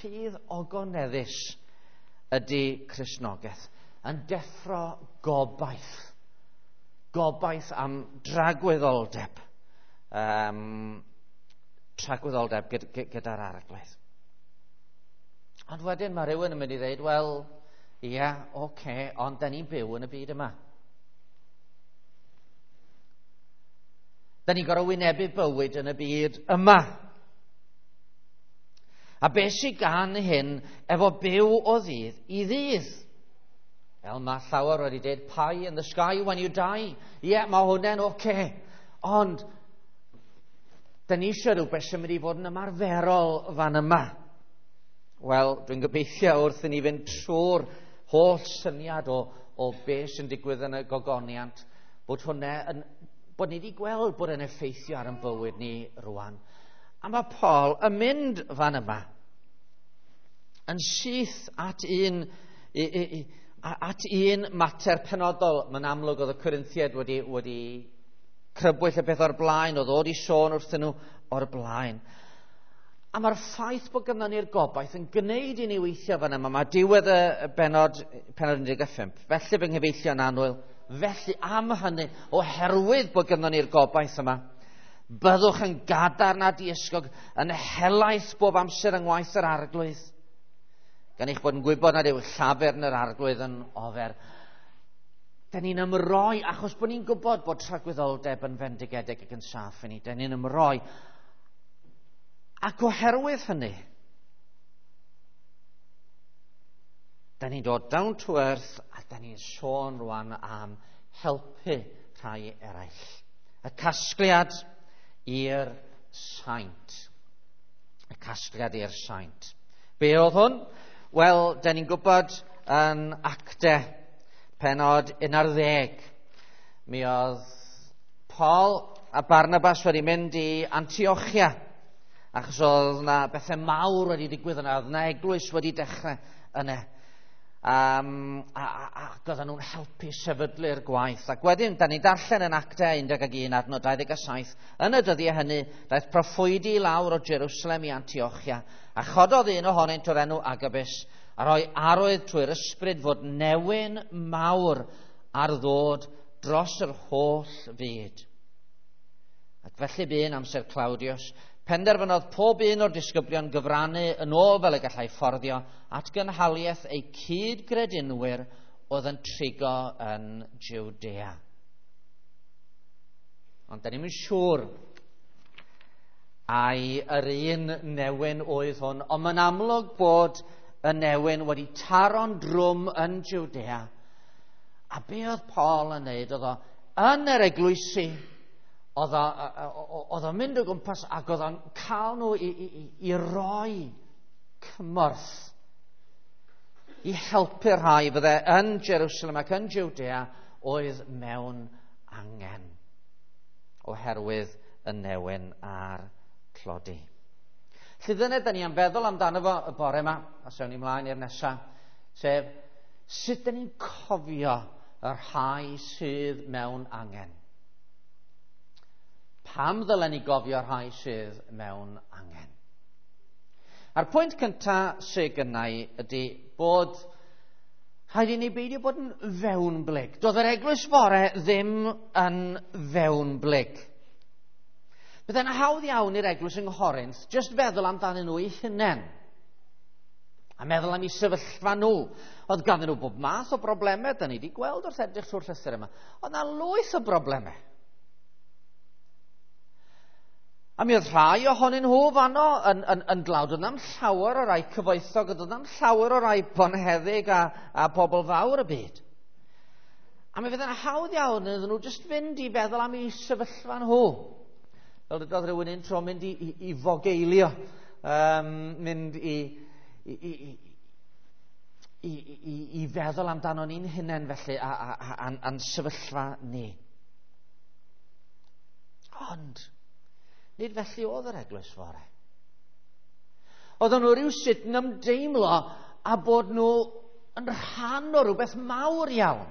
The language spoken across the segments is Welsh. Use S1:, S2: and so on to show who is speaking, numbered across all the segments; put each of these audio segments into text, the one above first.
S1: Ffydd ogoneddus ydy Cristnogaeth, yn deffro gobaith. Gobaith am dragwyddoldeb. Tragwyddoldeb gyda'r Arglwydd. Ond wedyn mae rhywun yn mynd i ddeud, wel, ie, oce, ond da ni'n byw yn y byd yma. Da ni'n gorfod wynebu bywyd yn y byd yma. A beth sydd gan hyn efo byw o ddydd i ddydd? Fel mae llawer wedi dweud, pie in the sky when you die. Ie, yeah, mae hwnna'n oce. Okay. Ond, da ni eisiau rhywbeth sy'n mynd i fod yn ymarferol fan yma. Wel, dwi'n gobeithio wrth i ni fynd trwy'r holl syniad o beth sy'n digwydd yn y gogoniant, bod hwnna yn, bod ni wedi gweld bod yn effeithio ar ein bywyd ni rwan. A mae Paul yn mynd fan yma yn syth at un, at un mater penodol. Mae'n amlwg oedd y Corinthiaid wedi crybwyll y peth o'r blaen, oedd o wedi sôn wrthyn nhw o'r blaen. A mae'r ffaith bod gynnon ni'r gobaith yn gwneud i ni weithio fan yma. Mae diwedd y bennod, pennod 15. Felly fy nghyfeillion annwyl, felly am hynny, oherwydd bod gynnon ni'r gobaith yma, byddwch yn gadarn a diysgog, yn helaeth bob amser yng ngwaith yr Arglwydd, gan eich bod yn gwybod nad yw llafur yn yr Arglwydd yn ofer. Da ni'n ymroi, achos bod ni'n gwybod bod tragwyddoldeb yn fendigedig ac yn saff i ni. Da ni'n ymroi. Ac oherwydd hynny, da ni'n dod down to earth a da ni'n sôn rwan am helpu rhai eraill. Y casgliad i'r saint. Y casgliad i'r saint. Be oedd hwn? Wel, da ni'n gwybod yn Acte, pennod 11. Mi oedd Paul a Barnabas wedi mynd i Antiochia, achos oedd yna bethau mawr wedi digwydd yna, oedd yna eglwys wedi dechrau yna. Ac oedden nhw'n helpu sefydlu'r gwaith. Ac wedyn, da ni'n darllen yn Actau 11 adnod 27, yn y dyddiau hynny, daeth proffwydi lawr o Jerusalem i Antiochia, a chododd un ohonynt o'r enw Agabus, a rhoi arwydd trwy'r ysbryd fod newyn mawr ar ddod dros yr holl fyd. Ac felly bu'n amser Claudius, penderfynodd pob un o'r disgyblion gyfrannu yn ôl fel y gallai fforddio at gynhaliaeth eu cyd-gredinwyr oedd yn trigo yn Judea. Ond da ni'm yn siŵr ai yr un newyn oedd hwn, ond mae'n amlwg bod y newyn wedi taro'n drwm yn Judea. A be oedd Paul yn neud? Oedd o yn yr eglwysi, oedd o'n mynd o gwmpas ac oedd o'n cael nhw i roi cymorth i helpu'r rhai fydde yn Jerusalem ac yn Judea oedd mewn angen oherwydd y newyn a'r tlodi. Felly dyna da ni am feddwl amdano fo y bore yma, a sewn ni mlaen i'r nesaf, sef sut da ni'n cofio y rhai sydd mewn angen. Pam ddylen ni gofio rhai sydd mewn angen? A'r pwynt cyntaf sydd gynna i ydy bod rhaid i ni beidio bod yn fewnblyg. Doedd yr eglwys fore ddim yn fewnblyg. Byddai'n hawdd iawn i'r eglwys yng Nghorinth jyst feddwl amdanyn nhw eu hunain. A meddwl am eu sefyllfa nhw. Oedd ganddyn nhw bob math o broblemau, da ni wedi gweld wrth edrych trwy'r llythyr yma. Oedd na lwyth o broblemau. A mi oedd rhai ohonyn nhw fanno yn dlawd. Oedd na'm llawer o rai cyfoethog, oedd na'm llawer o rai bonheddig a pobl fawr y byd. A mi fydd yn hawdd iawn iddyn nhw jyst fynd i feddwl am eu sefyllfa nhw. Fel dydodd rhywun un tro mynd i fogeilio, mynd i feddwl amdano ni'n hunain felly a'n sefyllfa ni. Ond nid felly oedd yr eglwys fore. Oedden nhw rywsut yn ymdeimlo a bod nhw yn rhan o rhywbeth mawr iawn.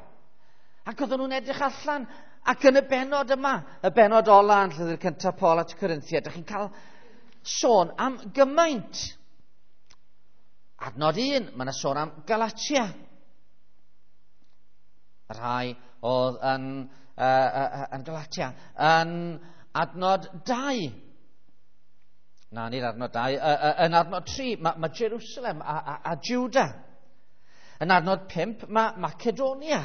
S1: Ac oedden nhw'n edrych allan, ac yn y bennod yma, y bennod ola yn llythyr cyntaf Paul at y Corinthiaid, dych chi'n cael sôn am gymaint Adnod 1, mae yna sôn am Galatia. Y rhai oedd yn Galatia. Yn adnod 2, na, nid adnod 2, yn adnod 3, mae Jerusalem a Juda. Yn adnod 5, mae Macedonia.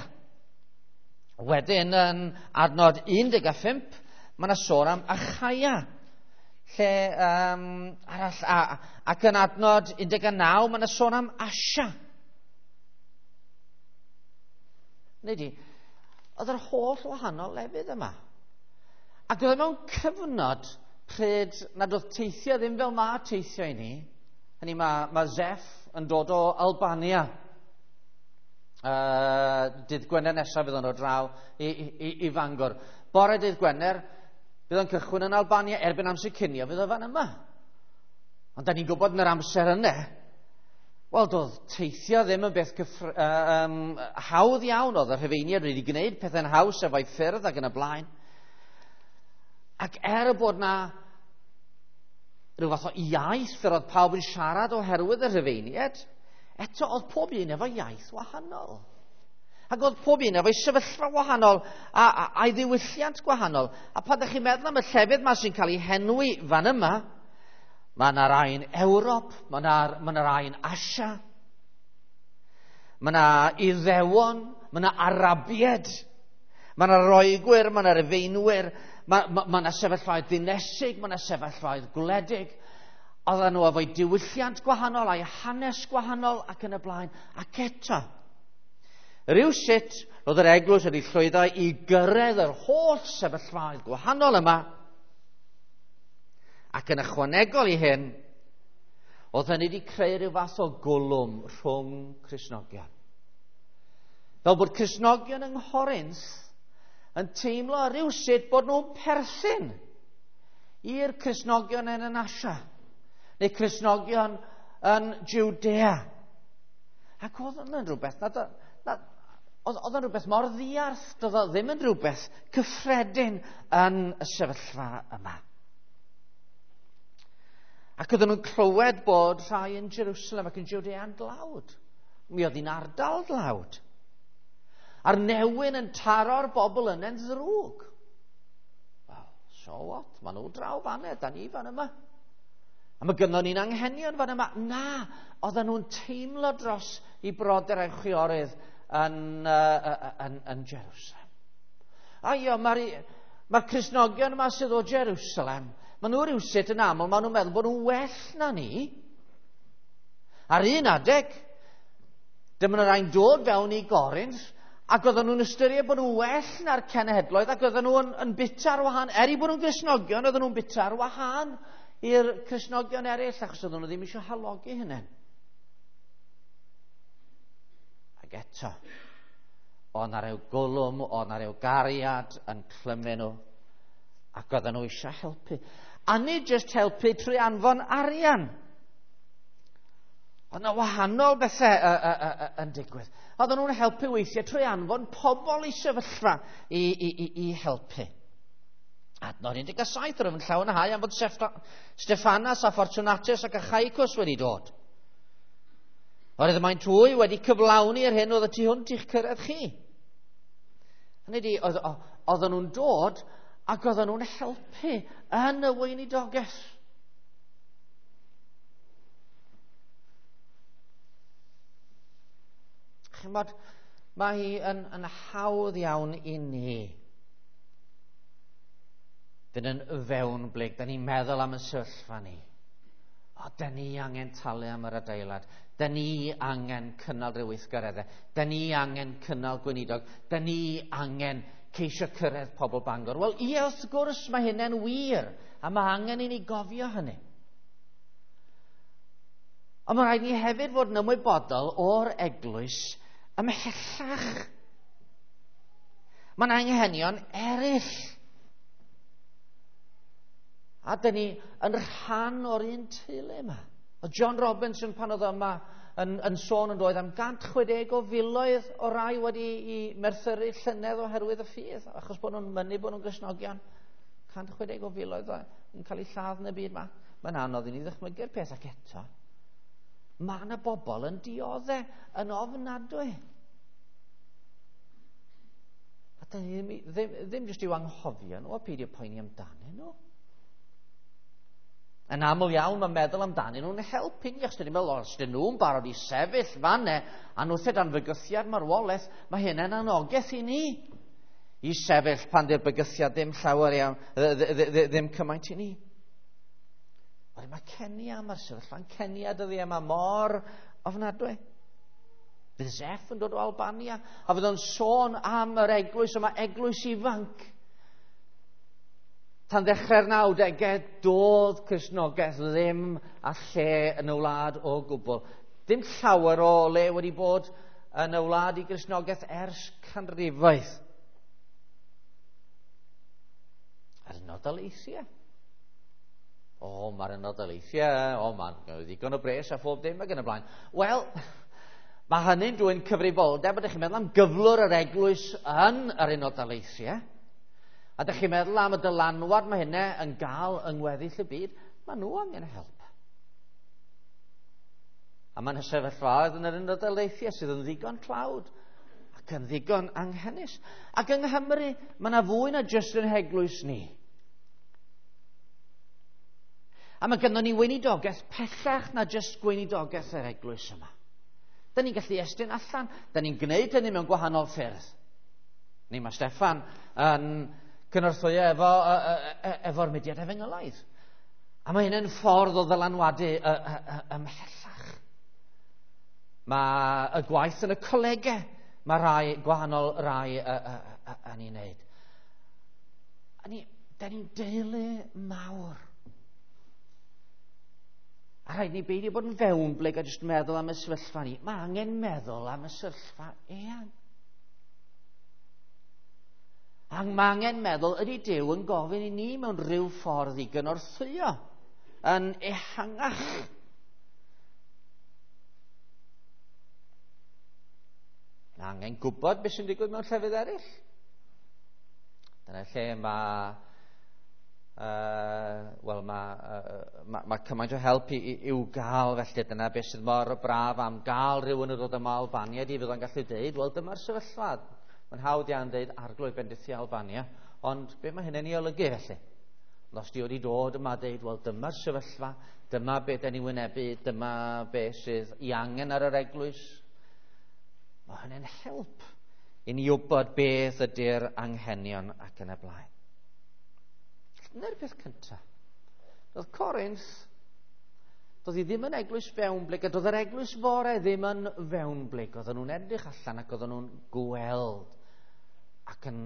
S1: Wedyn, yn adnod 15, mae yna sôn am Achaia. Lle arall, ac yn adnod 19, mae yna sôn am Asia. Neu di, oedd yr holl wahanol lefydd yma. Ac oedd e mewn cyfnod pryd nad oedd teithio ddim fel mae teithio i ni. Hynny mae Zeff yn dod o Albania. Dydd Gwener nesaf fydd o'n dod draw i Fangor. Bore dydd Gwener, bydd o'n cychwyn yn Albania erbyn amser cinio, fydd o fan yma. Ond da ni'n gwybod yn yr amser yna, wel, doedd teithio ddim yn beth hawdd iawn. Oedd y Rhufeiniaid wedi gwneud pethau'n haws efo'i ffyrdd ac yn y blaen. Ac er bod na rhyw fath o iaith yr oedd pawb yn siarad oherwydd y Rhufeiniaid, eto oedd pob un efo iaith wahanol. Ac oedd pob un efo'i sefyllfa wahanol a'i ddiwylliant gwahanol. A pan ydych chi'n meddwl am y llefydd yma sy'n cael ei henwi fan yma, mae yna rai yn Ewrop, mae yna rai yn Asia, mae yna Iddewon, mae yna Arabiaid, mae yna Roegwyr, mae yna Rufeinwyr, mae yna sefyllfaoedd dinesig, mae yna sefyllfaoedd gwledig. Oedden nhw efo'i diwylliant gwahanol a'i hanes gwahanol ac yn y blaen. Ac eto, rhywsut roedd yr eglwys wedi llwyddo i gyrraedd yr holl sefyllfaoedd gwahanol yma. Ac yn ychwanegol i hyn, oedd hynny wedi creu rhyw fath o gwlwm rhwng Cristnogion. Fel bod Cristnogion yng Nghorinth yn teimlo rhywsut bod nhw'n perthyn i'r Cristnogion yn Asia, neu Cristnogion yn Judea. Ac oedd hwnna'n rhywbeth, oedd o'n rhywbeth mor ddiarth, doedd o ddim yn rhywbeth cyffredin yn y sefyllfa yma. Ac oedden nhw'n clywed bod rhai yn Jerusalem ac yn Judea yn dlawd. Mi oedd hi'n ardal dlawd. A'r newyn yn taro'r bobl yna'n ddrwg. Well, so what? Maen nhw draw fan da ni fan yma. A mae gynnon ni'n anghenion fan yma. Na, oedden nhw'n teimlo dros i brodyr a'i chwiorydd yn Jerusalem. A io, mae'r Cristnogion yma sydd o Jerusalem, maen nhw rhywsut yn aml, maen nhw'n meddwl bod nhw'n well na ni. Ar un adeg, dyma nhw'n rhaid dod fewn i Gorinth, ac oedden nhw'n ystyried bod nhw'n well na'r cenhedloedd, ac oedden nhw'n yn bita ar wahân. Er i bod nhw'n Gristnogion, oedden nhw'n bita ar wahân i'r Cristnogion eraill, achos oedden nhw ddim eisiau halogi hynny. Ac eto, oedd 'na ryw gwlwm, oedd 'na ryw gariad yn clymu nhw, ac oedden nhw eisiau helpu. A nid jyst helpu trwy anfon arian. Oedd 'na wahanol bethau yn digwydd. Oedden nhw'n helpu weithiau trwy anfon pobl i sefyllfa i helpu. Adnod 17, rwyf yn llawenhau am fod Stephanas a Fortunatus ac Achaicus wedi dod. Oherwydd maent hwy wedi cyflawni yr hyn oedd y tu hwnt i'ch cyrraedd chi. Hynny ydi, oedden nhw'n dod ac oedden nhw'n helpu yn y weinidogaeth. Chimod, mae hi yn hawdd iawn i ni fynd yn fewnblyg. Da ni'n meddwl am y sefyllfa ni. O, da ni angen talu am yr adeilad. Da ni angen cynnal rhyw weithgareddau. Da ni angen cynnal gweinidog. Da ni angen ceisio cyrraedd pobl Bangor. Wel, ie, wrth gwrs mae hynny'n wir, a mae angen i ni gofio hynny. Ond mae rhaid ni hefyd fod yn ymwybodol o'r eglwys ymhellach. Mae'n anghenion eraill. A dyn ni yn rhan o'r un teulu yma. Oedd John Robinson pan oedd yma yn sôn yn doedd am 160 o filoedd o rai wedi i merthyru llynedd oherwydd y ffydd, achos bod nhw'n mynnu bod nhw'n Gristnogion. 160 o filoedd yn cael eu lladd yn y byd yma. Mae'n anodd i ni ddychmygu'r peth, ac eto. Mae yna bobl yn dioddau yn ofnadwy. A da ni ddim jyst i'w anghofio nhw a peidio poeni amdanyn nhw. Yn aml iawn mae meddwl amdanyn nhw'n helpu ni. Os dyn ni'n meddwl, os dyn nhw'n barod i sefyll fanne a nhw dan fygythiad marwolaeth, mae hynny'n anogaeth i ni i sefyll pan di'r bygythiad ddim llawer iawn, ddim cymaint i ni. Wedyn mae Kenya, mae'r sefyllfa'n Kenya dyddiau yma mor ofnadwy. Fydd Zeff yn dod o Albania, a fydd o'n sôn am yr eglwys yma, eglwys ifanc. Tan ddechrau'r 90au, doedd Cristnogaeth ddim a lle yn y wlad o gwbl. Dim llawer o le wedi bod yn y wlad i Gristnogaeth ers canrifoedd. A'r Unol Daleithiau. O, mae'r Unol Daleithiau, o, mae'n ddigon o bres a phob dim ac yn y blaen. Wel, mae hynny'n dwyn cyfrifoldeb, ydych chi'n meddwl am gyflwr yr eglwys yn yr Unol Daleithiau, a ydych chi'n meddwl am y dylanwad mae hynny yn gael yng ngweddill y byd, mae nhw angen help. A mae'n sefyllfaoedd yn yr Unol Daleithiau sydd yn ddigon tlawd ac yn ddigon anghenus. Ac yng Nghymru, mae yna fwy na jyst yn heglwys ni. A mae gynnon ni weinidogaeth pellach na jyst gweinidogaeth yr eglwys yma. Da ni'n gallu estyn allan, da ni'n gwneud hynny mewn gwahanol ffyrdd. Ni mae Steffan yn cynorthwyo efo'r mudiad efengylaidd. A mae hynny'n ffordd o ddylanwadu ymhellach. Mae y gwaith yn y colegau, mae rai gwahanol rai yn ei wneud. A ni, da ni'n deulu mawr. A rhaid ni beidio bod yn fewnblyg a jyst meddwl am y sefyllfa ni. Mae angen meddwl am y sefyllfa eang. A mae angen meddwl ydy Duw yn gofyn i ni mewn rhyw ffordd i gynorthwyo yn ehangach. Mae angen gwybod beth sy'n digwydd mewn llefydd eraill. Dyna lle mae wel, mae cymaint o help i'w gael, felly dyna beth sydd mor braf am gael rhywun yn dod yma o Albania, di fydd o'n gallu deud, wel, dyma'r sefyllfa. Mae'n hawdd iawn deud arglwydd bendithio Albania, ond be mae hynny'n ei olygu felly? Ond os di wedi dod yma a deud, wel, dyma'r sefyllfa, dyma be da ni wynebu, dyma be sydd i angen ar yr eglwys, mae hynny'n help i ni wybod beth ydy'r anghenion ac yn y blaen. Dyna'r peth cyntaf. Doedd Corinth, doedd hi ddim yn eglwys fewnblyg, a doedd yr eglwys fore ddim yn fewnblyg. Oedden nhw'n edrych allan ac oedden nhw'n gweld ac yn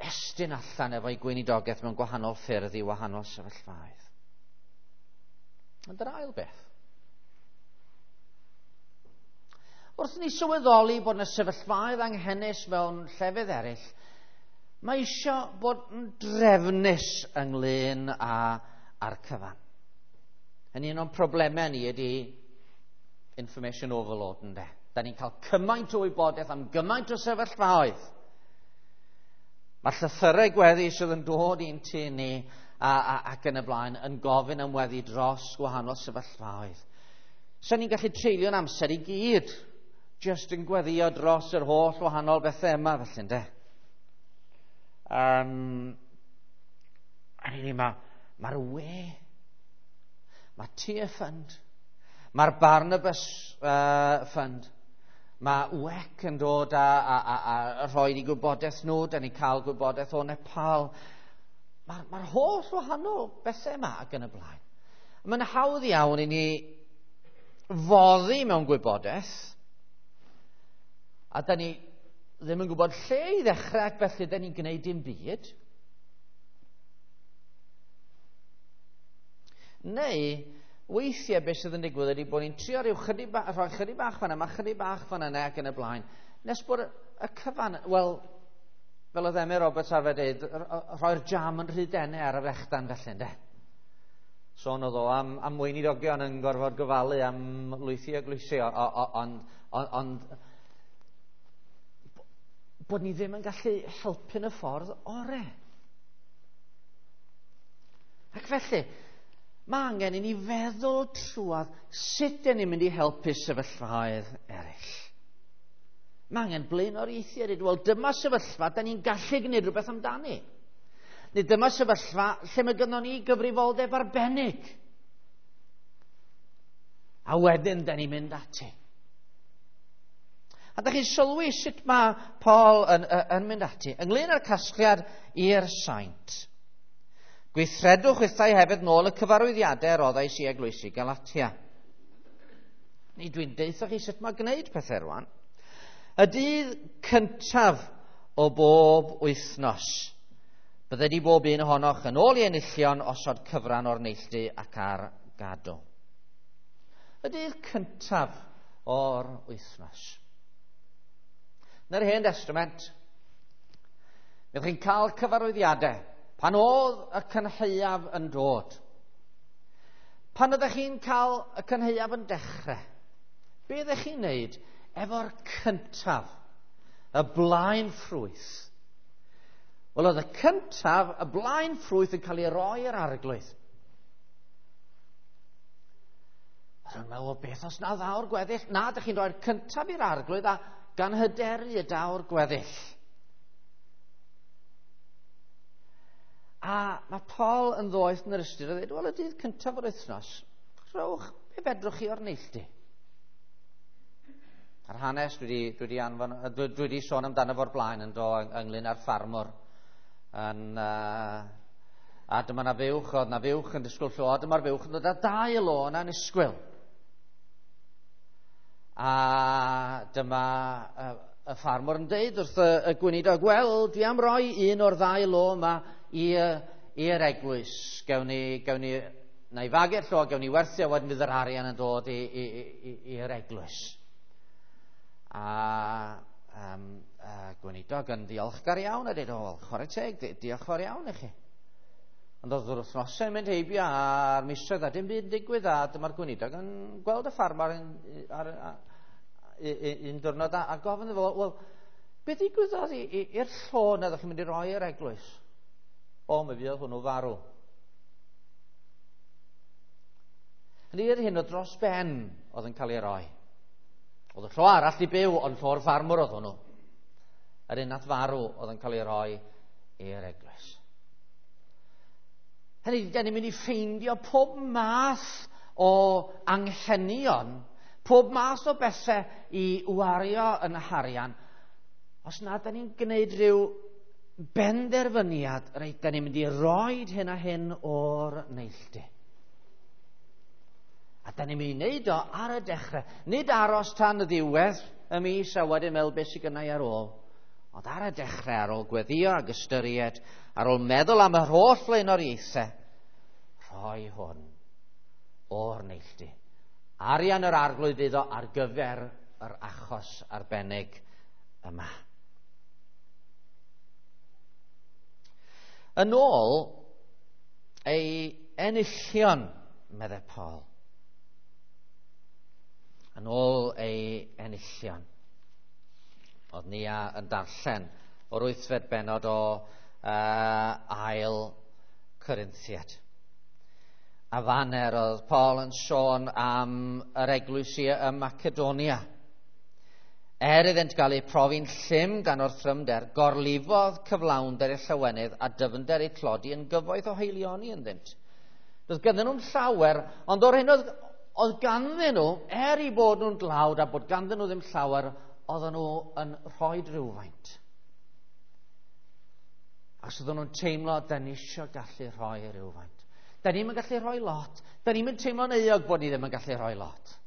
S1: estyn allan efo'i gweinidogaeth mewn gwahanol ffyrdd i wahanol sefyllfaoedd. Ond yr ail beth. Wrth ni sylweddoli bod yna sefyllfaoedd anghenus mewn llefydd eraill, mae eisiau bod yn drefnus ynglyn â'r cyfan. Hynny un o'n problemau ni ydy information overload, ynde. Da ni'n cael cymaint o wybodaeth am gymaint o sefyllfaoedd. Mae llythyrau gweddi sydd yn dod i'n tŷ ni ac yn y blaen yn gofyn am weddi dros gwahanol sefyllfaoedd. So ni'n gallu treulio'n amser i gyd jyst yn gweddio dros yr holl wahanol bethau yma, felly, ynde. A ni, mae'r we, mae Tear Fund, mae'r Barnabas Fund, mae WEC yn dod a rhoi ni gwybodaeth nhw, da ni'n cael gwybodaeth o Nepal. Mae'r holl wahanol bethau yma ac yn y blaen. Mae'n hawdd iawn i ni foddi mewn gwybodaeth, a da ni ddim yn gwybod lle i ddechrau ac felly da ni'n gwneud dim byd. Neu, weithiau beth sydd yn digwydd ydy bod ni'n trio rhyw rhoi chydig bach fan yma, chydig bach fan yna ac yn y blaen, nes bod y cyfan, wel, fel oedd Emyr Roberts arfer dweud, rhoi'r jam yn rhy denau ar y frechdan felly, ynde? Sôn oedd o am weinidogion yn gorfod gofalu am lwythi a glwysi, ond bod ni ddim yn gallu helpu yn y ffordd orau. Ac felly, Mae angen i ni feddwl trwadd sut dyn ni'n mynd i helpu sefyllfaoedd eraill. Mae angen blaenoriaethu a dweud, wel, dyma sefyllfa da ni'n gallu gwneud rhywbeth amdani. Neu dyma sefyllfa lle mae gynnon ni gyfrifoldeb arbennig. A wedyn da ni'n mynd ati. A da chi'n sylwi sut mae Paul yn mynd ati. Ynglyn â'r casgliad i'r saint. Gweithredwch chwithau hefyd nôl y cyfarwyddiadau roddais i eglwysi Galatia. Ni dwi'n deutha chi sut mae gwneud pethau rwan. Y dydd cyntaf o bob wythnos, bydded i bob un ohonoch yn ôl i enillion osod cyfran o'r neilltu ac ar gadw. Y dydd cyntaf o'r wythnos. Yn yr Hen Testament, byddwch chi'n cael cyfarwyddiadau pan oedd y cynhaeaf yn dod. Pan ydych chi'n cael y cynhaeaf yn dechrau, be ydych chi'n neud efo'r cyntaf, y blaen ffrwyth? Wel, oedd y cyntaf, y blaen ffrwyth yn cael ei roi i'r arglwydd. Oedd yn meddwl, beth os na ddaw'r gweddill? Na, ydych chi'n rhoi'r cyntaf i'r arglwydd a gan hyderu y daw'r gweddill. A mae Paul yn ddoeth yn yr ystyr a dweud, wel, y dydd cyntaf o'r wythnos, rhowch be fedrwch chi o'r neilltu. A'r hanes dwi wedi sôn amdano fo'r blaen yn do ynglyn â'r ffarmwr. A dyma na fuwch, oedd na fuwch yn disgwyl llo, a dyma'r fuwch yn dod â dau lo yna'n isgwyl. A dyma y ffarmwr yn deud wrth y gweinidog, wel, dwi am roi un o'r ddau lo yma i'r eglwys. Gewn ni, na i fagu'r llo, gewn ni werthu, a wedyn fydd yr arian yn dod i'r eglwys. A gweinidog yn ddiolchgar iawn a dweud, o, wel, chwarae teg, diolch fawr iawn i chi. Ond oedd yr wythnosau yn mynd heibio a'r misoedd a dim byd yn digwydd, a dyma'r gweinidog yn gweld y ffarmwr ar un diwrnod a gofyn iddo fo, wel, be ddigwyddodd i'r llo na ddech chi'n mynd i roi i'r eglwys? O, mi fuodd hwnnw farw. Hynny yr hyn o dros ben oedd yn cael ei roi. Oedd y llo arall i byw, ond llo'r ffarmwr oedd hwnnw. Yr un nath farw oedd yn cael ei roi i'r eglwys. Hynny, da ni'n mynd i ffeindio pob math o anghenion, pob math o bethau i wario yn harian, os na da ni'n gwneud rhyw benderfyniad, reit, da ni'n mynd i roed hyn a hyn o'r neilltu. A da ni'n mynd i wneud o ar y dechrau. Nid aros tan y ddiwedd y mis a wedyn meddwl beth sydd gynna i ar ôl. Ond ar y dechrau, ar ôl gweddio ac ystyried, ar ôl meddwl am yr holl flaenoriaethau, rhoi hwn o'r neilltu. Arian yr arglwydd iddo ar gyfer yr achos arbennig yma. Yn ôl ei enillion, meddai Paul. Yn ôl ei enillion. Oedd Nia yn darllen o'r 8fed bennod o ail Corinthiad. A faner oedd Paul yn sôn am yr eglwysi ym Macedonia. Er iddynt gael eu profi'n llym gan orthrymder, gorlifodd cyflawnder eu llawenydd a dyfnder eu tlodi yn gyfoeth o haelioni ynddynt. Doedd ganddyn nhw'n llawer, ond o'r hyn oedd ganddyn nhw, er i bod nhw'n dlawd a bod ganddyn nhw ddim llawer, oedden nhw yn rhoi rhywfaint. Ac oedden nhw'n teimlo, da ni eisiau gallu rhoi rhywfaint. Da ni'm yn gallu rhoi lot. Da ni'm yn teimlo'n euog bod ni ddim yn gallu rhoi lot.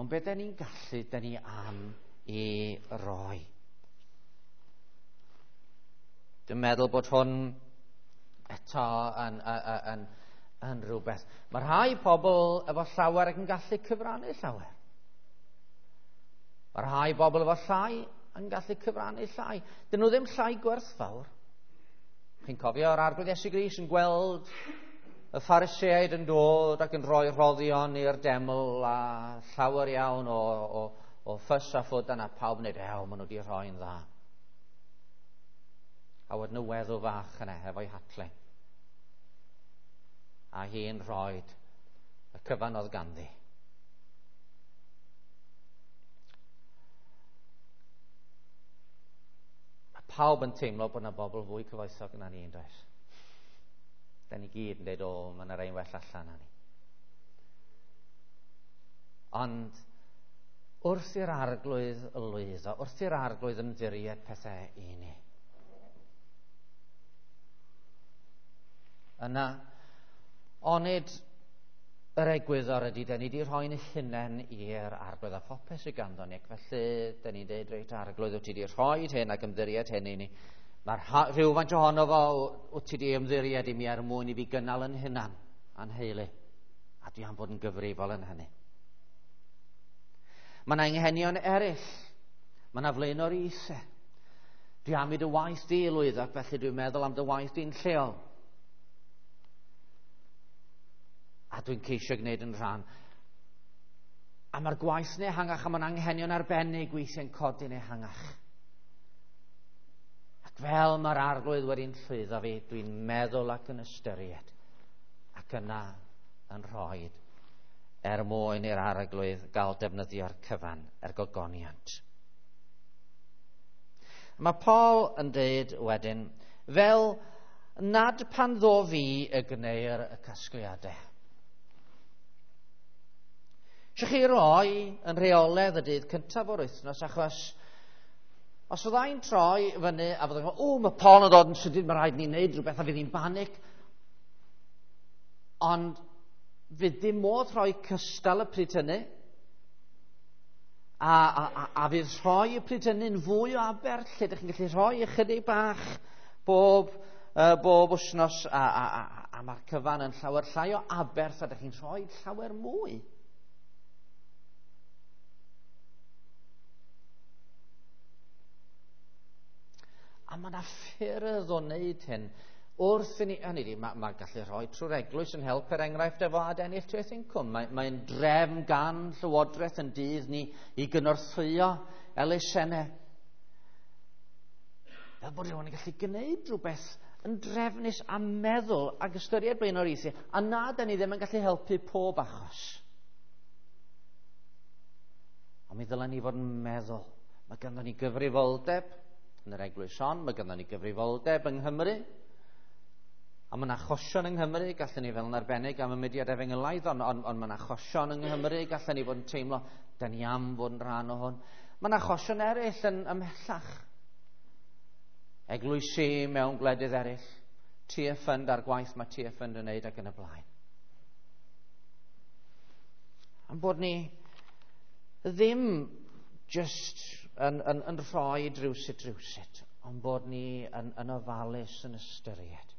S1: Ond be da ni'n gallu, da ni am i roi. Dwi'n meddwl bod hwn eto yn rhywbeth. Mae rhai pobl efo llawer ac yn gallu cyfrannu llawer. Mae rhai bobl efo llai yn gallu cyfrannu llai. Dyn nhw ddim llai gwerthfawr. Chi'n cofio yr Arglwydd Iesu Grist yn gweld y Phariseaid yn dod ac yn rhoi rhoddion i'r deml a llawer iawn o ffys a ffwd yna pawb yn dweud, ew, maen nhw wedi rhoi'n dda. A wedyn y weddw fach yna efo'i hatle. A hi'n rhoi y cyfan oedd ganddi. Mae pawb yn teimlo bod yna bobl fwy cyfoethog na ni, yn does? Da ni gyd yn dweud, o, mae yna rei'n well allan na ni. Ond wrth i'r arglwydd lwyddo, wrth i'r arglwydd ymddiried pethau i ni, yna, onid yr egwyddor ydy, da ni wedi rhoi'n hunain i'r arglwydd a phopeth sydd ganddo ni, ac felly da ni'n dweud, reit, arglwydd, wyt ti wedi rhoi hyn ac ymddiried hyn i ni. Mae rhywfaint ohono fo wyt ti wedi ymddiried i mi er mwyn i fi gynnal yn hunan a'n heulu, a dwi am fod yn gyfrifol yn hynny. Mae yna anghenion eraill. Mae yna flaenoriaethau. Dwi am i dy waith di lwyddo, ac felly dwi'n meddwl am dy waith di'n lleol. A dwi'n ceisio gwneud yn rhan. A mae'r gwaith yn ehangach, a mae'n anghenion arbennig weithiau'n codi'n ehangach. Ac fel mae'r arglwydd wedi'n llwyddo fi, dwi'n meddwl ac yn ystyried, ac yna yn rhoi er mwyn i'r arglwydd gael defnyddio'r cyfan er gogoniant. Mae Paul yn dweud wedyn, fel nad pan ddo fi y gwneir y casgliadau. Eisiau chi roi yn rheoledd y dydd cyntaf o'r wythnos, achos os fyddai'n troi fyny a fyddai'n gwybod, o, mae Paul yn dod yn sydyn, mae rhaid ni wneud rhywbeth a fydd hi'n banic. Ond fydd dim modd rhoi cystal y pryd hynny, a fydd rhoi y pryd hynny'n fwy o aberth, lle ydych chi'n gallu rhoi ychydig bach bob wythnos, a mae'r cyfan yn llawer llai o aberth, a ydych chi'n rhoi llawer mwy. A mae yna ffyrdd o wneud hyn. Wrth i ni, hynny ydi, mae gallu rhoi trwy'r eglwys yn help, er enghraifft, efo adennill treth incwm. Mae'n drefn gan Llywodraeth yn dydd ni i gynorthwyo elusennau. Fel bod rhywun yn gallu gwneud rhywbeth yn drefnus a meddwl ac ystyried blaenoriaethau, a na, da ni ddim yn gallu helpu pob achos. Ond mi ddylen ni fod yn meddwl. Mae ganddo ni gyfrifoldeb yn yr eglwys hon, mae ganddo ni gyfrifoldeb yng Nghymru. A mae'n achosion yng Nghymru, gallwn ni fel yn arbennig am y mudiad efengylaidd, ond mae'n achosion yng Nghymru, gallwn ni fod yn teimlo, da ni am fod yn rhan o hwn. Mae'n achosion eraill yn ymhellach. Eglwysi mewn gwledydd eraill, Tearfund a'r gwaith mae Tearfund yn wneud ac yn y blaen. Am bod ni ddim just yn rhoi drywsut, ond bod ni yn ofalus yn ystyried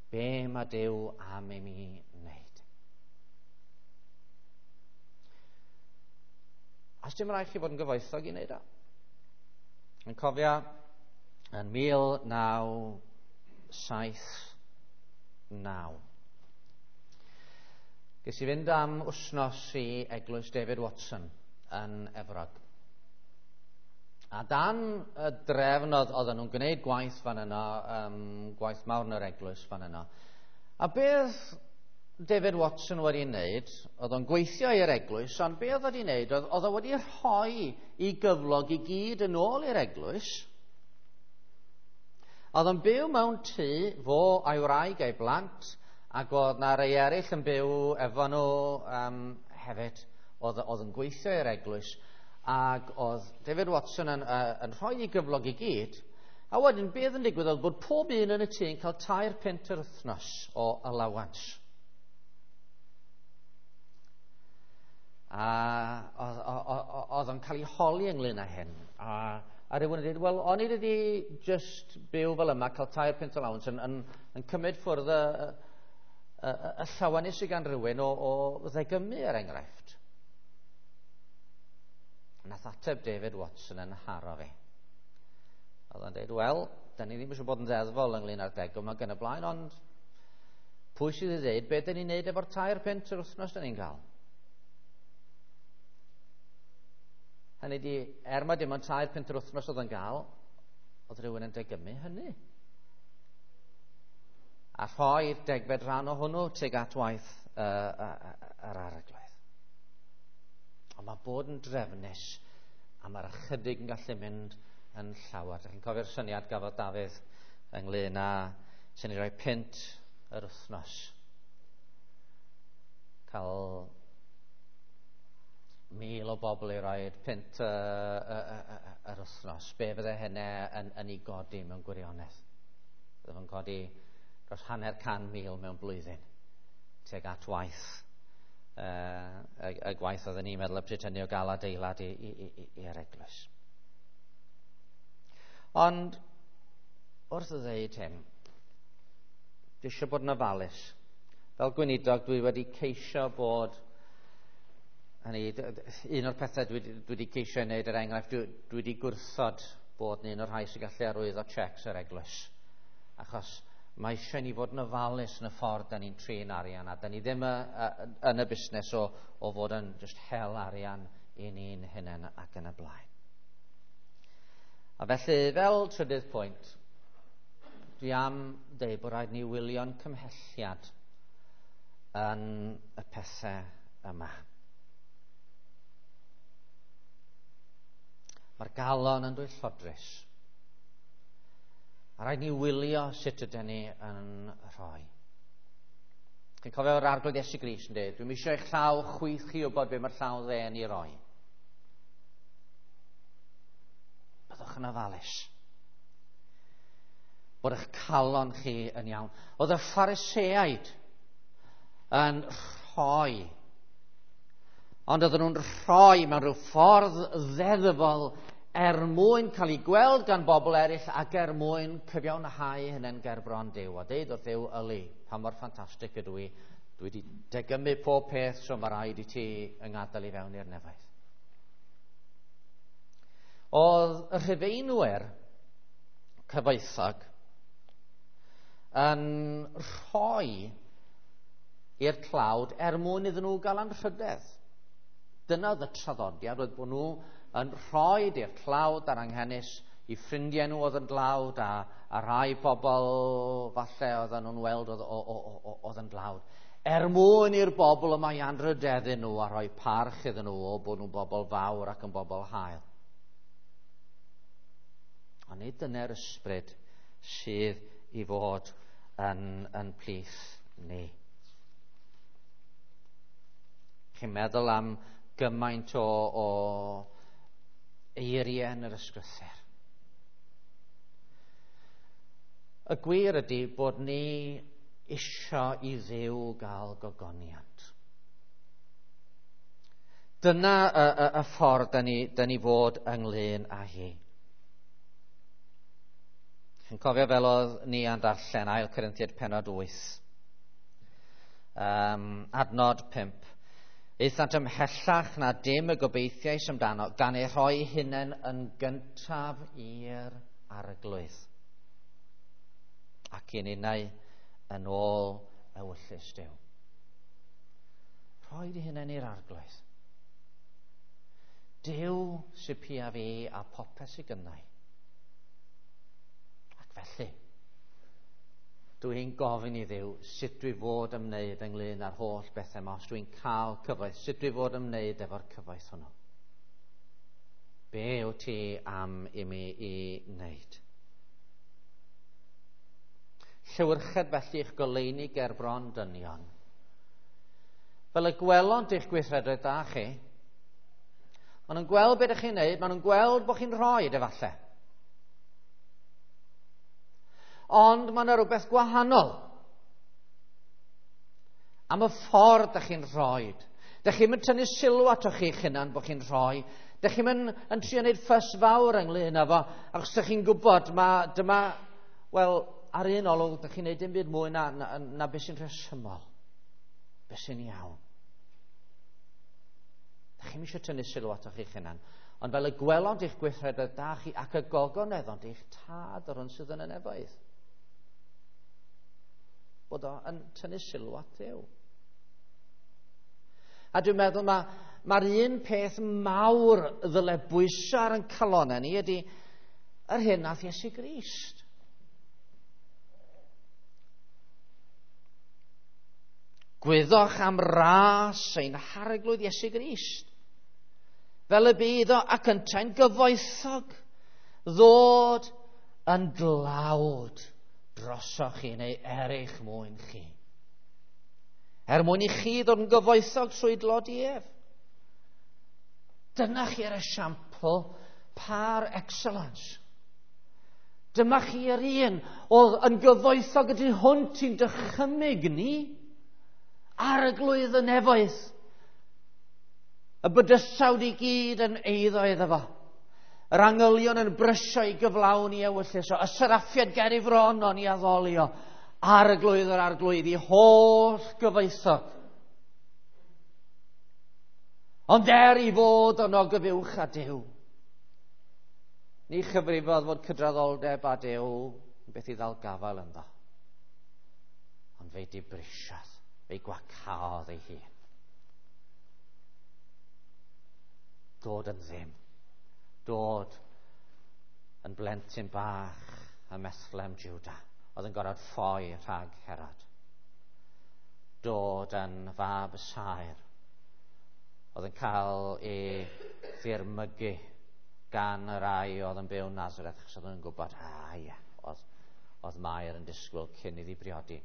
S1: be mae Duw am i mi wneud. A dim rhaid chi fod yn gyfoethog i wneud o. Yn cofio yn 1979. Ges i fynd am wythnos i eglwys David Watson yn Efrog. A dan y drefn oedden nhw'n gwneud gwaith fan yno, gwaith mawr yn yr eglwys fan yno. A beth David Watson wedi wneud, oedd o'n gweithio i'r eglwys, ond beth oedd wedi wneud, oedd o wedi rhoi i gyflog i gyd yn ôl i'r eglwys. Oedd o'n byw mewn tŷ, fo a'i wraig a'i blant, ac oedd na rei eraill yn byw efo nhw hefyd, oedd yn gweithio i'r eglwys. Ac oedd David Watson yn rhoi ei gyflog i gyd, a wedyn beth yn digwydd oedd bod pob un yn y tŷ yn cael 3 punt yr wythnos o allowance. A oedd o'n cael ei holi ynglyn â hyn. A rhywun yn dweud, wel, o'n i wedi just byw fel yma, cael 3 punt allowance, yn cymryd ffwrdd y llawenydd sydd gan rhywun o ddegymu, er enghraifft. Nath ateb David Watson yn haro fi. Oedd o'n dweud, wel, da ni ddim eisiau bod yn ddeddfol ynglyn â'r degwm ac yn y blaen, ond pwy sydd i ddeud beth da ni'n neud efo'r 3 punt yr wythnos da ni'n cael? Hynny di, er mae dim ond 3 punt yr wythnos oedd yn gael, oedd rhywun yn degymu hynny. A rhoi'r degfed rhan o hwnnw tuag at waith yr Arglwydd. Ond mae bod yn drefnus a mae'r ychydig yn gallu mynd yn llawer. Dych chi'n cofio'r syniad gafodd Dafydd ynglyn â sy'n ei roi pint yr wythnos. Cael 1,000 o bobl i roi pint yr wythnos. Be fydde hynny yn ei godi mewn gwirionedd? Bydde fo'n codi dros 500,000 mewn blwyddyn tuag at waith y gwaith oedden ni'n meddwl y pryd hynny o gael adeilad i'r eglwys. Ond wrth ddweud hyn, dwi eisiau bod yn ofalus. Fel gweinidog, dwi wedi ceisio bod, hynny, un o'r pethau dwi wedi ceisio ei wneud, er enghraifft, dwi wedi gwrthod bod yn un o'r rhai sy'n gallu arwyddo cheques yr eglwys. Achos mae eisiau ni fod yn ofalus yn y ffordd da ni'n trin arian, a da ni ddim yn y busnes o fod yn just hel arian i ni'n hunain ac yn y blaen. A felly, fel trydydd pwynt, dwi am dweud bod rhaid ni wylio'n cymhelliad yn y pethau yma. Mae'r galon yn dwyllodrus. A rhaid ni wylio sut ydyn ni yn rhoi. Chi'n cofio'r Arglwydd Iesu Grist yn dweud, dwi'n eisiau eich llaw chwith chi wybod be mae'r llaw dde yn ei roi. Byddwch yn ofalus. Bod eich calon chi yn iawn. Oedd y Phariseaid yn rhoi. Ond oedden nhw'n rhoi mewn rhyw ffordd ddeddfol er mwyn cael ei gweld gan bobl eraill ac er mwyn cyfiawnhau hynny'n gerbron Duw. A deud wrth Dduw, yli, pa mor ffantastig ydw i. Dwi wedi degymu pob peth, so mae rhaid i ti yng ngadael i fewn i'r nefoedd. Oedd y Rhufeinwyr cyfoethog yn rhoi i'r tlawd er mwyn iddyn nhw gael anrhydedd. Dyna oedd y traddodiad, oedd bod nhw yn rhoi i'r tlawd a'r anghenus, i ffrindiau nhw oedd yn dlawd, a rhai pobl falle oedden nhw'n weld oedd yn dlawd. Er mwyn i'r bobl yma i anrhydeddu nhw a rhoi parch iddyn nhw o bod nhw'n bobl fawr ac yn bobl hael. Ond nid dyna'r ysbryd sydd i fod yn plith ni. Chi'n meddwl am gymaint o eiriau yn yr ysgrythur. Y gwir ydy bod ni isio i Dduw gael gogoniant. Dyna y ffordd da ni fod ynglyn â hi. Chi'n cofio fel oedd ni yn darllen 2 Corinthiaid pennod 8, adnod 5. Aethant ymhellach na dim y gobeithiais amdano, gan ei rhoi hunain yn gyntaf i'r Arglwydd. Ac i'n unau yn ôl ewyllys Duw. Rhoi dy hunain i'r Arglwydd. Duw sy pia fi a popeth sy gynnau. Ac felly, dwi'n gofyn i Dduw sut dwi fod ymwneud ynglyn â'r holl bethau yma, os dwi'n cael cyfoeth, sut dwi fod ymwneud efo'r cyfoeth hwnnw. Be wyt ti am i mi i wneud? Llewyrched felly eich goleuni ger bron dynion. Fel y gwelont eich gweithredoedd da chi, maen nhw'n gweld beth ydych chi'n wneud, maen nhw'n gweld bod chi'n rhoi efallai. Ond mae yna rhywbeth gwahanol am y ffordd ydych chi'n rhoi. Dych chi'n mynd tynnu sylw atoch chi'ch hunan bod chi'n rhoi. Dych chi'n mynd yn trio wneud ffys fawr ynglyn â fo, achos dych chi'n gwybod, dyma, wel, ar un olwg, dych chi'n gwneud dim byd mwy na beth sy'n rhesymol, beth sy'n iawn. Dych chi'n eisiau tynnu sylw atoch chi'ch hunan, ond fel y gwelont eich gweithredoedd da chi ac y gogoneddont eich tad o'r hwn sydd yn y nefoedd. Bod o yn tynnu sylw at Dduw. A dwi'n meddwl mae'r un peth mawr ddyle bwyso ar ein calonnau ni ydy yr hyn nath Iesu Grist. Gwyddoch am ras ein Harglwydd Iesu Grist. Fel y bydd o ac yntau'n gyfoethog ddod yn dlawd drosoch chi neu er eich mwyn chi. Er mwyn i chi ddod yn gyfoethog trwy dlodi ef. Dyna chi'r esiampl par excellence. Dyma chi'r un oedd yn gyfoethog y tu hwnt i'n dychymyg ni. Arglwydd y nefoedd. Y bydysawd i gyd yn eiddo iddo fo. Yr angylion yn brysio i gyflawni ewyllys o. Y seraffiad ger ei fron o'n i addolio. Arglwydd yr arglwydd i holl gyfoethog. Ond er i fod yn ogyfuwch â Duw, ni chyfrifodd fod cydraddoldeb â Duw yn beth i ddal gafael ynddo. Ond fe'i dibrisiodd, fe'i gwacaodd ei hun. Dod yn ddim. Dod yn blentyn bach ym Methlehem, Juda, oedd yn gorfod ffoi rhag Herod. Dod yn fab y saer, oedd yn cael ei ddirmygu gan y rai oedd yn byw yn Nazareth, achos oedd yn gwybod, ie, oedd Mair yn disgwyl cyn iddi briodi.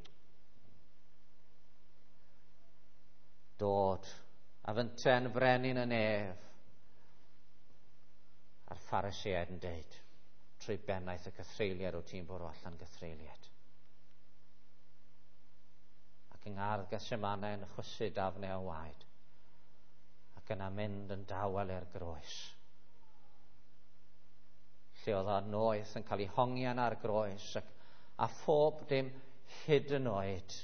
S1: Dod a fynten frenin y nef, a'r Phariseaid yn deud, trwy bennaeth y cythreuliad o ti'n bwrw allan gythreuliad. Ac yng ngardd Gethsemane yn chwysu dafnau o waed, ac yna mynd yn dawel i'r groes. Lle oedd o'n noeth yn cael ei hongian ar groes ac, a phob dim hyd yn oed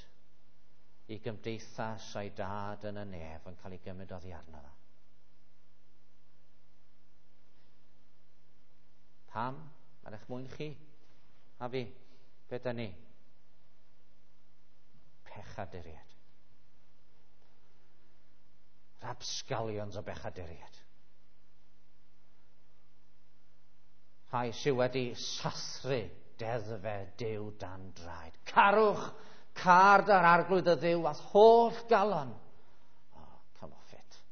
S1: i gymdeithas a'i dad yn y nef yn cael ei gymryd oddi arno fo. Pam? Mae'n eich mwyn chi a fi. Be da ni? Pechaduriaid. Rapsgalions o bechaduriaid. Rhai sydd wedi sathru deddfe Duw dan draed. Carwch car da'r arglwydd y Dduw a'th holl galon. Oh, come off it.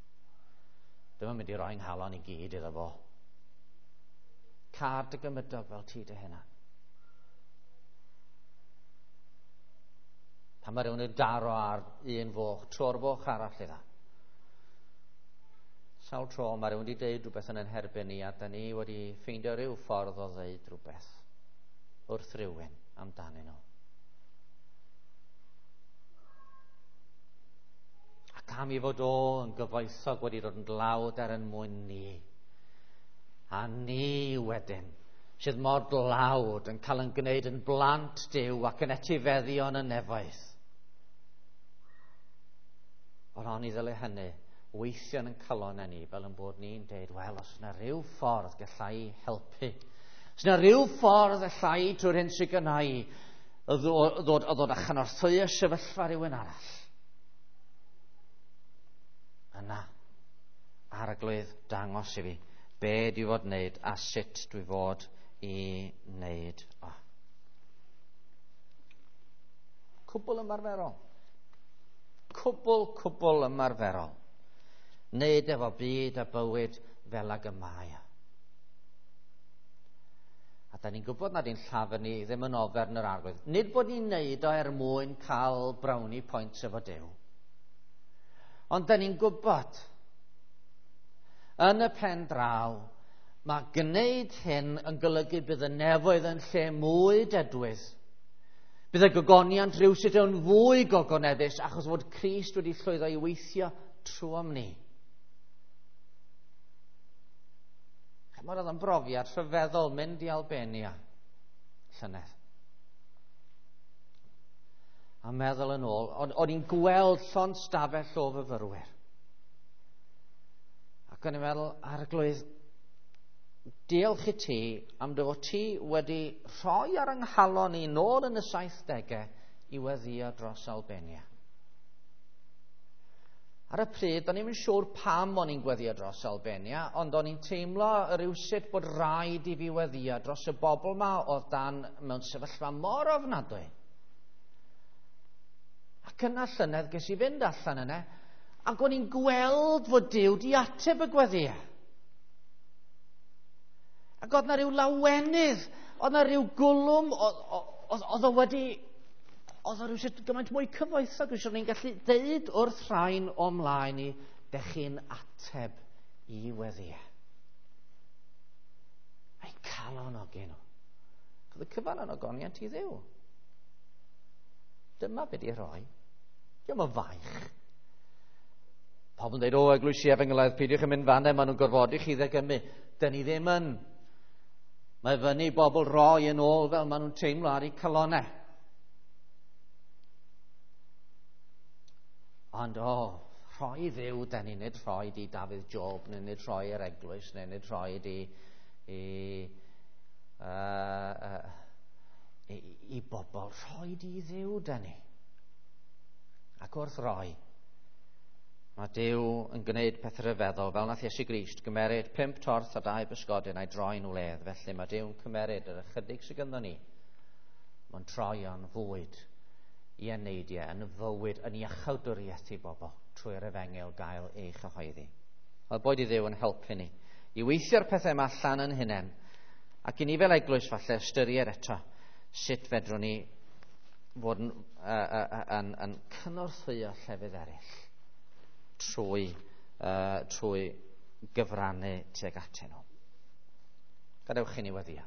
S1: Dwi'm yn mynd i roi nghalon i gyd iddo fo. Car dy gymydog fel ti dy hunan. Pan mae rhywun yn daro ar un foch, tro'r foch arall iddo. Sawl tro mae rhywun wedi deud rhywbeth yn ein herbyn ni a da ni wedi ffeindio rhyw ffordd o ddeud rhywbeth wrth rhywun amdanyn nhw. Ac am i fod o yn gyfoethog wedi dod yn dlawd er yn mwyn ni. A ni wedyn, sydd mor dlawd yn cael yn gwneud yn blant Duw ac yn etifeddion y nefoedd. Ond oni ddyle hynny weithio yn calon ni fel yn bod ni'n deud, wel, os yna rhyw ffordd gallai helpu, os yna rhyw ffordd allai trwy'r hyn sydd gynna i ddod a chynorthwyo sefyllfa rhywun arall. Yna, Arglwydd, dangos i fi be dwi fod wneud a sut dwi fod i wneud o. Cwbl ymarferol. Cwbl ymarferol. Wneud efo byd a bywyd fel ag y mae. A da ni'n gwybod nad ein llafur ni ddim yn ofer yn yr arglwydd. Nid bod ni'n wneud o er mwyn cael brownie points efo Duw. Ond da ni'n gwybod yn y pen draw, mae gwneud hyn yn golygu bydd y nefoedd yn lle mwy dedwydd. Bydd y gogoniant rhywsut yn fwy gogoneddus achos fod Crist wedi llwyddo i weithio trwom ni. Chimod, oedd yn brofiad rhyfeddol mynd i Albania llynedd. A meddwl yn ôl, o'n i'n gweld llond stafell o fyfyrwyr. Ac o'n i'n meddwl, Arglwydd, diolch i ti am dy fod ti wedi rhoi ar yng nghalon i nôl yn y 70au i weddïo dros Albania. Ar y pryd, o'n i'm yn siŵr pam o'n i'n gweddïo dros Albania, ond o'n i'n teimlo rywsut bod rhaid i fi weddïo dros y bobl ma oedd dan mewn sefyllfa mor ofnadwy. Ac yna llynedd ges i fynd allan yna, ac o'n i'n gweld fod Duw di ateb y gweddïau. Ac oedd na ryw lawenydd, oedd na ryw gwlwm, oedd o wedi... Oedd o rhywsut gymaint mwy cyfoethog, rhywsut o'n i'n gallu deud wrth rhain o mlaen i, dech chi'n ateb i weddïau. A'i calonogi nhw. Oedd y cyfan yn ogoniant i Dduw. Dyma be di rhoi. Diolch yn faich. Pobl yn dweud, o, eglwysi efengylaidd, peidiwch yn mynd fan maen nhw'n gorfodi chi ddegymu. Dyn ni ddim yn. Mae fyny bobl roi yn ôl fel maen nhw'n teimlo ar eu calonau. Ond o, rhoi Dduw, da ni nid rhoi di Dafydd Job, neu nid rhoi yr eglwys, neu nid rhoi di i, i, i bobl. Rhoi di Dduw, da ni. Ac wrth roi, mae Duw yn gwneud peth rhyfeddol, fel nath Iesu Grist gymeryd 5 torth a 2 bysgodyn a'i droi'n wledd. Felly mae Duw'n cymeryd yr ychydig sydd ganddo ni. Mae'n troi o'n fwyd i eneidiau, yn fywyd, yn iachawdwriaeth i bobl trwy'r efengyl gael ei chyhoeddi. Wel, boed i Dduw yn helpu ni i weithio'r pethau yma allan yn hunain, ac i ni fel eglwys falle ystyried eto sut fedrwn ni fod yn, yn, yn cynorthwyo llefydd eraill trwy, trwy gyfrannu tuag atyn nhw. Gadewch i ni weddio.